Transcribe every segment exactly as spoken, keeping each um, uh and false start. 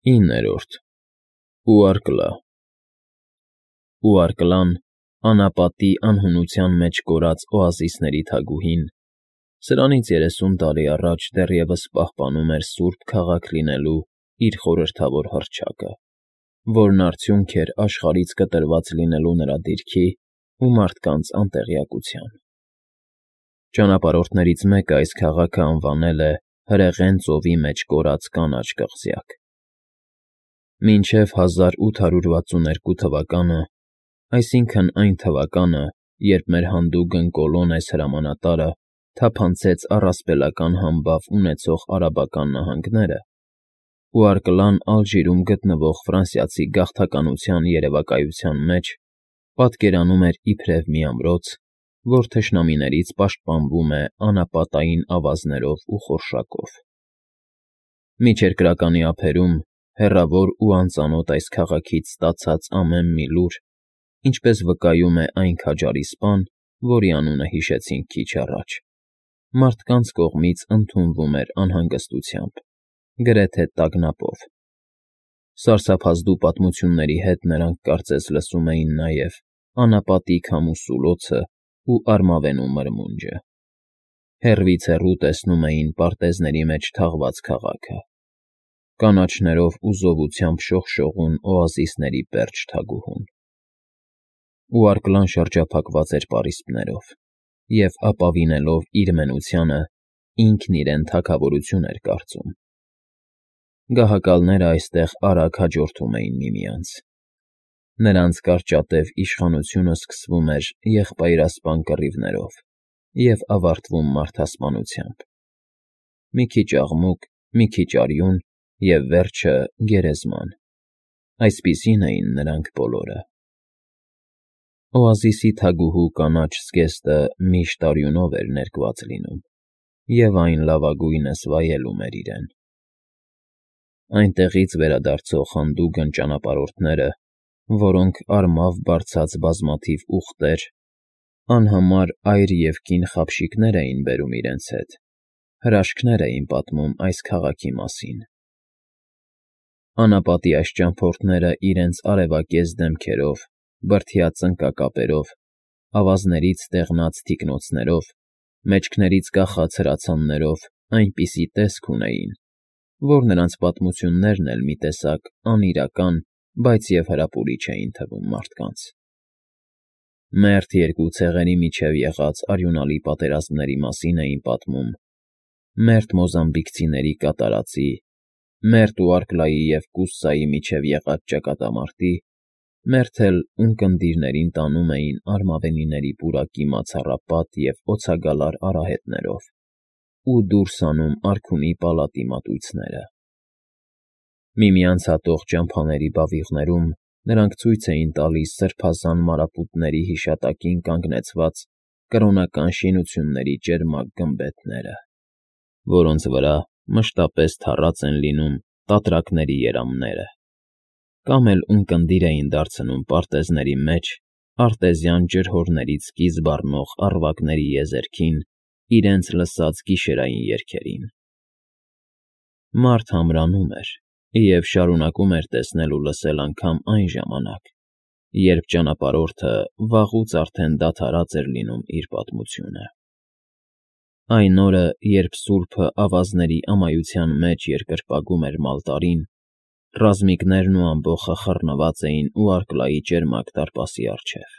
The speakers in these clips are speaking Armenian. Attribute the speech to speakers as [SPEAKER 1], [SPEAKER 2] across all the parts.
[SPEAKER 1] Իններորդ Ուարկլա Ուարկլան, անապատի անհունության մեջ կորած օազիսների թագուհին, սրանից երեսուն տարի առաջ դեռևս պահպանում էր սուրբ քաղաք լինելու իր խորհրդավոր հռչակը, որն արդյունք էր աշխարհից կտրված լինելու նրա դիրքի ու մարդկանց անտեղյակության։ Ճանապարհորդներից մեկը այս քաղաքը անվանել է Հրեղեն ծովի մեջ կորած կանաչ կղզյակ։ Մինչև հազար ութ հարյուր վաթսուններկու թվականը, այսինքն այն թվականը, երբ մեր հանդուգն Կոլոնես հրամանատարը թափանցեց առասպելական համբավ ունեցող արաբական նահանգները, Ուարկլան Ալժիրում գտնվող ֆրանսիացի գաղթականության երևակայության մեջ պատկերանում էր իբրև մի ամրոց, որ թշնամիներից պաշտպանվում է անապատային ավազներով ու խորշակով։ Միջերկրականի ափերում, հեռավոր ու անծանոթ այս քաղաքից ստացած ամեն մի լուր, ինչպես վկայում է այն քաջարի սպան, որի անունը հիշեցինք քիչ առաջ, մարդկանց կողմից ընդունվում էր անհանգստությամբ, գրեթե տագնապով։ Սարսափազդու պատմությունների հետ նրանք կարծես լսում էին նաև անապատի քամու սուլոցն ու արմավենու մրմունջը։ Հեռվից հեռու տեսնում էին պարտեզների մեջ թաղված քաղաքը, կանաչներով ու զովությամբ շողշողուն օազիսների պերճ թագուհուն։ Ուարկլան շրջափակված էր պարիսպներով և, ապավինելով իր մենությանը, ինքն իրեն թագավորություն էր կարծում։ Գահակալները այստեղ արագ հաջորդում էին միմյանց։ Նրանց կարճատև իշխանությունը սկսվում էր եղբայրասպան կռիվներով և ավարտվում մարդասպանությամբ։ Մի քիչ աղմուկ, մի քիչ արյուն և վերջը՝ գերեզման։ Այսպիսին էին նրանք բոլորը։ Օազիսի թագուհու կանաչ զգեստը միշտ արյունով էր ներկված լինում, և այն լավագույնս վայելում էր իրեն։ Այնտեղից վերադարձող հանդուգն ճանապարհորդները, որոնք արմավ բարձած բազմաթիվ ուղտեր, անհամար այր և կին խաբշիկներ էին բերում իրենց հետ, հրաշքներ էին պատմում այս քաղաքի մասին։ Անապատի այս ճամփորդները իրենց արևակեզ դեմքերով, բրդյա ծնկակապերով, ավազներից ստեղնած թիկնոցներով, մեջքներից կախած հրացաններով այնպիսի տեսք ունեին, որ նրանց պատմություններն էլ մի տեսակ անիրական, բայց և հրապուրիչ էին թվում մարդկանց։ Մերթ երկու ցեղերի միջև եղած արյունալի պատերազմների մասին էին պատմում, մերթ մոզամբիկցիների կատարածի, մերթ Ուարկլայի և Կուսայի միջև եղած ճակատամարտի, մերթ էլ ունկնդիրներին տանում էին արմավենիների պուրակի մացառապատ և օցագալար արահետներով ու դուրս հանում արքունի պալատի մատույցները։ Միմյանց հատող ճամփաների բավիղներում նրանք ցույց էին տալիս սրբազան մարապուտների հիշատակին կանգնեցված կրոնական շինությունների ճերմակ գմբեթները, որոնց վրա մշտապես թառած են լինում տատրակների երամները, կամ էլ ունկնդիր էին դարձնում պարտեզների մեջ արտեզյան ջրհորներից կից բառնող առվակների եզերքին իրենց լսած գիշերային երգերին։ Մարդ ամրանում էր և շարունակում էր տեսնել ու լսել անգամ այն ժամանակ, երբ ճանապարհորդը վաղուց արդեն դադարած էր լինում իր պատմությունը։ Այն օրը, երբ սուրբը ավազների ամայության մեջ երկրպագում էր մալտարին, ռազմիկներն ու ամբոխը խռնված էին Ուարկլայի ճերմակ դարպասի առջև։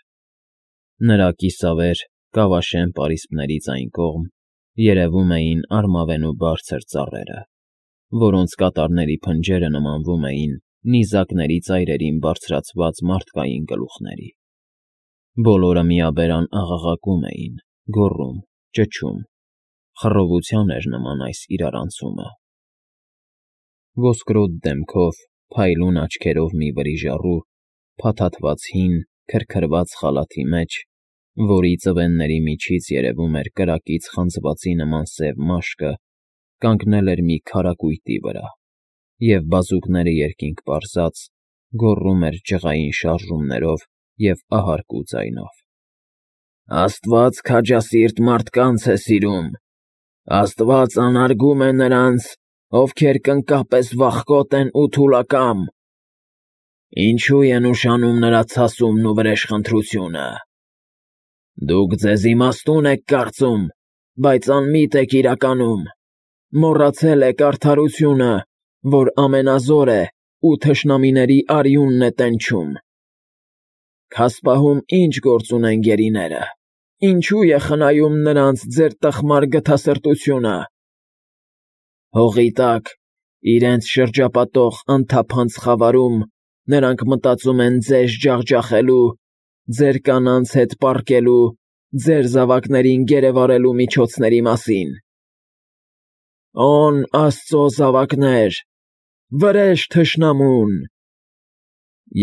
[SPEAKER 1] Նրա կիսավեր, կավաշեն պարիսպներից այն կողմ երևում էին արմավենու բարձր ծառերը, որոնց կատարների փնջերը նմանվում էին նիզակների ծայրերին բարձրացված մարդկային գլուխների։ Բոլորը միաբերան աղաղակում էին, գոռում, ճչում, խռովության էր նման այս իրարանցումը։ Ոսկրոտ դեմքով, փայլուն աչքերով մի վրիժառու, փաթաթված հին, քրքրված խալաթի մեջ, որի ծվենների միջից երևում էր կրակից խանձվածի նման սև մաշկը, կանգնել էր մի քարակույտի վրա և, բազուկները երկինք պարզած, գոռում էր ջղային շարժումներով և ահարկու ձայնով. «Աստված քաջասիրտ մարդկանց է սիրում, Աստված անարգում է նրանց, ովքեր կնկապես վախկոտ են ու թուլակամ, ինչո՞ւ են ուշանում նրա ցասումն ու վրեժխնդրությունը։ Դուք ձեզ իմաստուն եք կարծում, բայց անմիտ եք իրականում, մոռացել եք արդարությունը, որ ամենազոր է ու թշնամիների արյունն է տենչում։ Քասպահում ի՞նչ գործ ունեն գերիները, ինչո՞ւ է խնայում նրանց ձեր տխմար գթասրտությունը։ Հողի տակ, իրենց շրջապատող անթափանց խավարում նրանք մտածում են ձեզ ջախջախելու, ձեր կանանց հետ պառկելու, ձեր զավակներին գերեվարելու միջոցների մասին։ Օն աստծո զավակներ, վրեժ թշնամուն…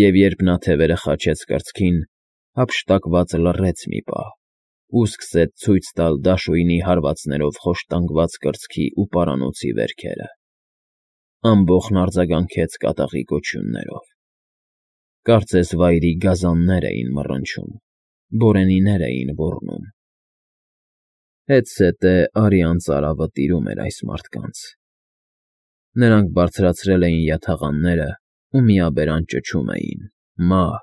[SPEAKER 1] Եվ երբ նա թևերը խաչեց կրծքին, հափշտակված լռեց մի պահ ու սկսեց ցույց տալ դաշույնի հարվածներով խոշտանգված կրծքի ու պարանոցի վերքերը, ամբոխն արձագանքեց կատաղի կոչյուններով. կարծես վայրի գազաններ էին մռնչում, բորենիներ էին ոռնում։ Հետզհետե արյան ծարավը տիրում էր այս մարդկանց։ Նրանք բարձրացրել էին յաթաղանները ու միաբերան ճչում էին. «Մահ,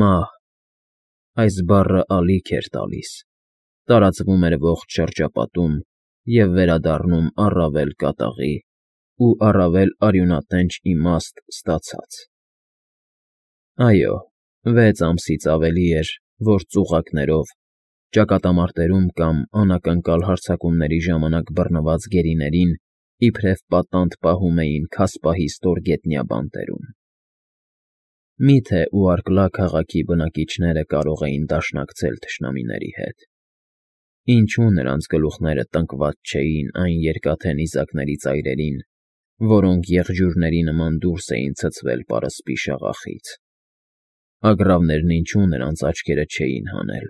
[SPEAKER 1] մահ»։ Այս բառը ալիք էր տալիս, տարածվում էր ողջ շրջապատում և վերադառնում առավել կատաղի ու առավել արյունատենչ իմաստ ստացած։ Այո, վեց ամսից ավելի էր, որ ծուղակներով, ճակատամարտերում կամ անակնկալ հարձակումների ժամանակ բռնված գերիներին իբրև պատանդ պահում էին քասպահի ստորգետնյա բանտերում։ Մի՞թե Ուարկլա քաղաքի բնակիչները կարող էին դաշնակցել թշնամիների հետ։ Ինչո՞ւ նրանց գլուխները տնկված չէին այն երկաթե նիզակների ծայրերին, որոնք եղջյուրների նման դուրս էին ցցվել պարսպի շաղախից։ Ագռավներն ինչո՞ւ նրանց աչքերը չէին հանել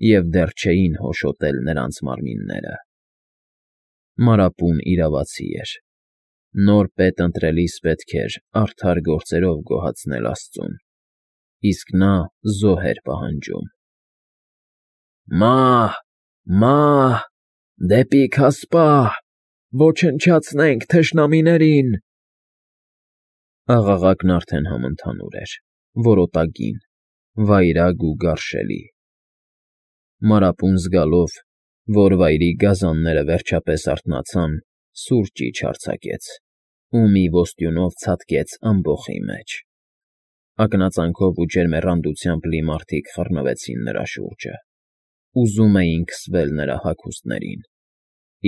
[SPEAKER 1] և դեռ չէին հոշոտել նրանց մարմինները։ Մանրապուն իրավացի էր։ Նոր պետ ընտրելիս պետք էր արդար գործերով գոհացնել աստծուն, իսկ նա զոհ էր պահանջում։ «Մահ, մահ, դեպի քասպահ, ոչնչացնենք թշնամիներին»։ Աղաղակն արդեն համընդհանուր էր, որոտագին, վայրագ ու գարշելի։ Մանրապուն զգալով, որ վայրի գազանները վերջապես արթնացան, սուր ճիչ արձակեց ու մի ոստյունով ցատկեց ամբոխի մեջ։ Ակնածանքով ու ջերմեռանդությամբ լի մարդիկ խռնվեցին նրա շուրջը, ուզում էին քսվել նրա հագուստներին,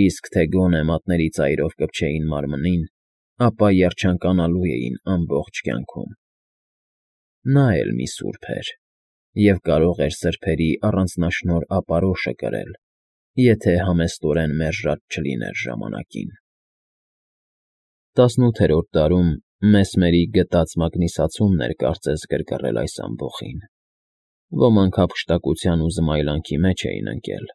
[SPEAKER 1] իսկ թե գոնե մատների ծայրով կպչեին մարմնին, ապա երջանկանալու էին ամբողջ կյանքում։ Նա էլ մի սուրբ էր և կարող էր սրբերի առանձնաշնորհ ապարոշը կրել, եթե համեստորեն մերժած չլիներ ժամանակին։ Տասնութերորդ դարում Մեսմերի գտած մագնիսացումն էր կարծես գրգռել այս ամբոխին։ Ոմանք հափշտակության ու զմայլանքի մեջ էին ընկել,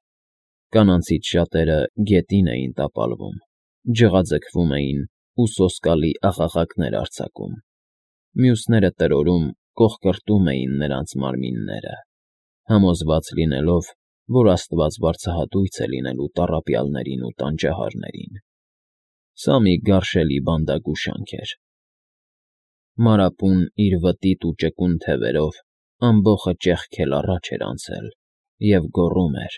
[SPEAKER 1] կանանցից շատերը գետին էին տապալվում, ջղաձգվում էին ու սոսկալի աղաղակներ արձակում, մյուսները տրորում, կոխկրտում էին նրանց մարմինները, համոզված լինելով, որ աստված վարձահատույց է լինելու տառապյալներին ու տանջահարներին։ Սա մի գարշելի բանդագուշանք էր։ Մանրապուն իր վտիտ ու ճկուն թևերով ամբոխը ճեղքել առաջ էր անցել և գոռում էր.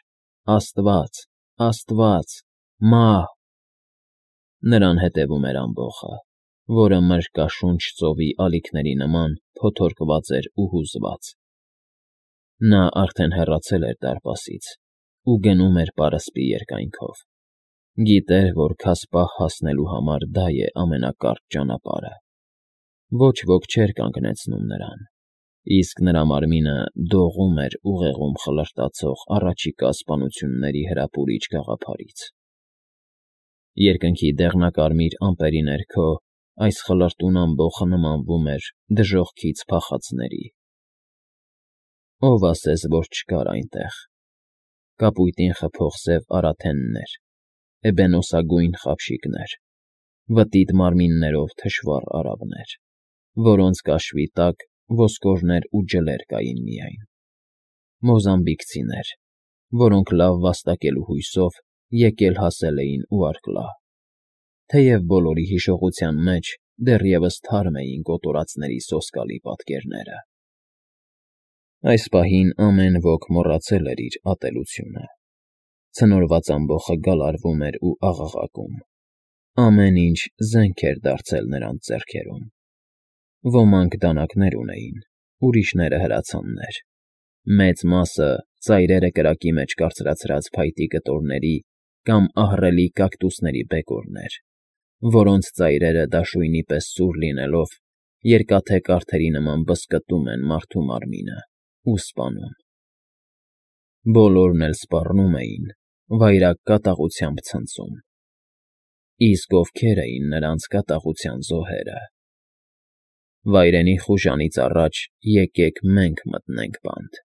[SPEAKER 1] «Աստվա՜ծ, Աստվա՜ծ, մահ»։ Նրան հետևում էր ամբոխը, որը մրրկաշունչ ծովի ալիքների նման փոթորկված էր ու հուզված։ Նա արդեն հեռացել էր դարպասից ու գնում էր պարսպի երկայնքով։ Գիտեր, որ քասպահ հասնելու համար դա է ամենակարճ ճանապարհը։ Ոչ ոք չէր կանգնեցնում նրան, իսկ նրա մարմինը դողում էր ուղեղում խլրտացող առաջիկա սպանությունների հրապուրիչ գաղափարից։ Երկնքի դեղնակարմիր ամպերի ներքո այս խլրտուն ամբոխը նմանվում էր դժոխքից փախածների։ Ո՞վ ասես, որ չկար այնտեղ։ Կապույտին խփող սև արաթեններ, էբենոսագույն խաբշիկներ, վտիտ մարմիններով թշվառ արավներ, որոնց կաշվի տակ ոսկորներ ու ջլեր կային միայն, մոզամբիկցիներ, որոնք լավ վաստակելու հույսով եկել֊հասել էին Ուարկլա։ թեև բոլորի հիշողության մեջ դեռևս թարմ էին կոտորածների սոսկալի պատկերները։ Այս պահին ամեն ոք մոռացել էր իր ատելությունը։ Ցնորված ամբոխը գալարվում էր ու աղաղակում։ Ամեն ինչ զենք էր դարձել նրանց ձեռքերում։ Ոմանք դանակներ ունեին, ուրիշները հրացաններ։ Մեծ մասը ծայրերը կրակի մեջ կարծրացրած փայտի կտորների կամ ահռելի կակտուսների բեկորներ, որոնց ծայրերը դաշույնի պես սուր լինելով, երկաթե կարդերի նման բզկտում են մարդու մարմինը ու սպանում։ Բոլորն էլ սպառնում էին, վայրագ կատաղությամբ ցնծում։ Իսկ ովքեր էին նրանց կատաղության զոհերը։ Վայրենի խուժանից առաջ եկեք մենք մտնենք բանտ։